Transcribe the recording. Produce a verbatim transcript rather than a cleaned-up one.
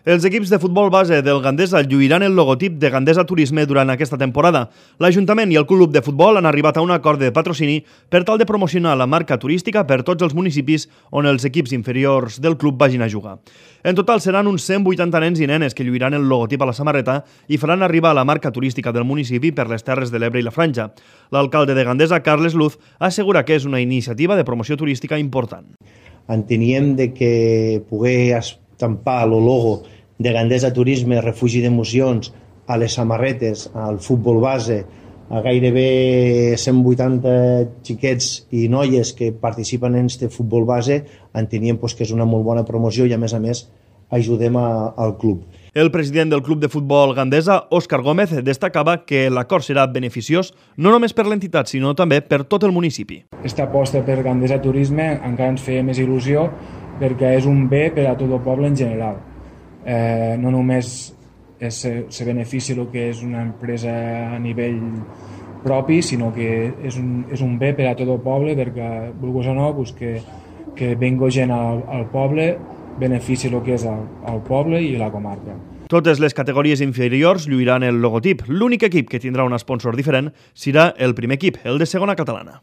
Els equips de futbol base del Gandesa lluiran el logotip de Gandesa Turisme durant aquesta temporada. L'Ajuntament i el Club de Futbol han arribat a un acord de patrocini per tal de promocionar la marca turística per tots els municipis on els equips inferiors del club vagin a jugar. En total seran uns cent vuitanta nens i nenes que lluiran el logotip a la samarreta i faran arribar la marca turística del municipi per les Terres de l'Ebre i la Franja. L'alcalde de Gandesa, Carles Luz, assegura que és una iniciativa de promoció turística important. Enteníem de que poder estampar el logo de Gandesa Turisme, refugi d'emocions, a les samarretes, al futbol base, a gairebé cent vuitanta xiquets i noies que participen en este futbol base, enteníem pues, que és una molt bona promoció i a més a més ajudem a, al club. El president del Club de Futbol Gandesa, Òscar Gómez, destacava que l'acord serà beneficiós no només per l'entitat, sinó també per tot el municipi. Aquesta aposta per Gandesa Turisme encara ens feia més il·lusió perquè és un bé per a tot el poble en general. Eh, no només es, se beneficia el que és una empresa a nivell propi, sinó que és un, és un bé per a tot el poble perquè, vulguis o no, pues que, que vengo gent al, al poble, beneficia el que és el, el poble i la comarca. Totes les categories inferiors lluiran el logotip. L'únic equip que tindrà un sponsor diferent serà el primer equip, el de segona catalana.